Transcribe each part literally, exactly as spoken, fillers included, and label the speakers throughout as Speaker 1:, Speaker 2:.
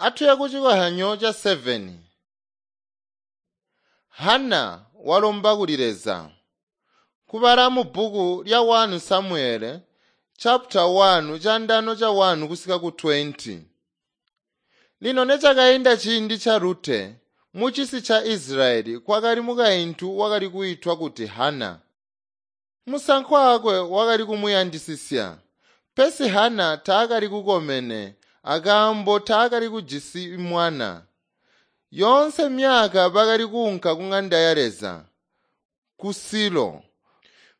Speaker 1: Atuye kucikozyanyo ca seveni. Hana walomba kuli Leza. Kubala mu bbuku lya wani Samuele chapter one candano ca one kusika ku twenty. Lino necakainda ciindi ca Rute, mucisi ca Isilayeli kwakali mukaintu wakali kwiitwa kuti Hana. Musankwa wakwe wakali kumuyandisisya, pesi Hana taakali kukomene akaambo taakali kujisi mwana. Yoonse myaka bakali kuunka ku ŋanda ya Leza, ku Silo.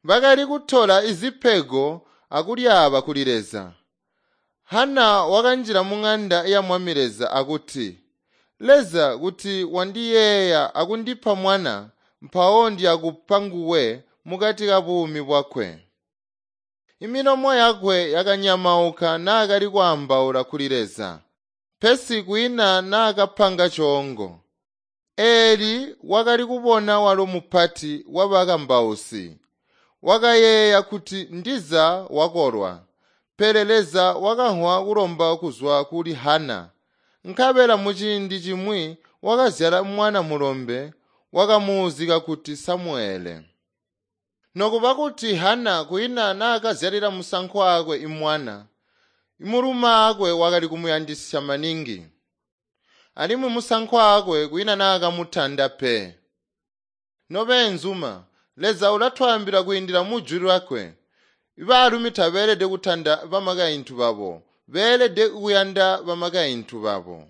Speaker 1: Bakali kutola zipego akulyaaba kuli Leza. Hana wakanjila muŋanda ya Mwami Leza akuti, “Leza kuti wandiyeeya akundipa mwana, mpawo ndiyakupa nguwe mukati kabuumi bwakwe.” Imilomo yakwe yakanyamauka naakali kwaambaula kuli Leza, pesi kwiina naakapanga coongo. Eli wakali kubona walo mupati wabakambausi. Wakayeeya kuti ndiza wakolwa, pele Leza wakamvwa kulomba kuzwa kuli Hana. Nkabela muciindi cimwi wakazyala mwana mulombe wakamuuzika kuti Samuele. Nokuba kuti Hana kwiina naakazyalila musankwa wakwe imwana, mulumaakwe wakali kumuyandisya maningi. Alimwi musankwa wakwe kwiina naakamutanda pe. Nobeenzuma, Leza ulatwaambila kwiindila mu Jwi lyakwe. Baalumi tabeelede kutanda bamakaintu babo, beelede kuyanda bamakaintu babo.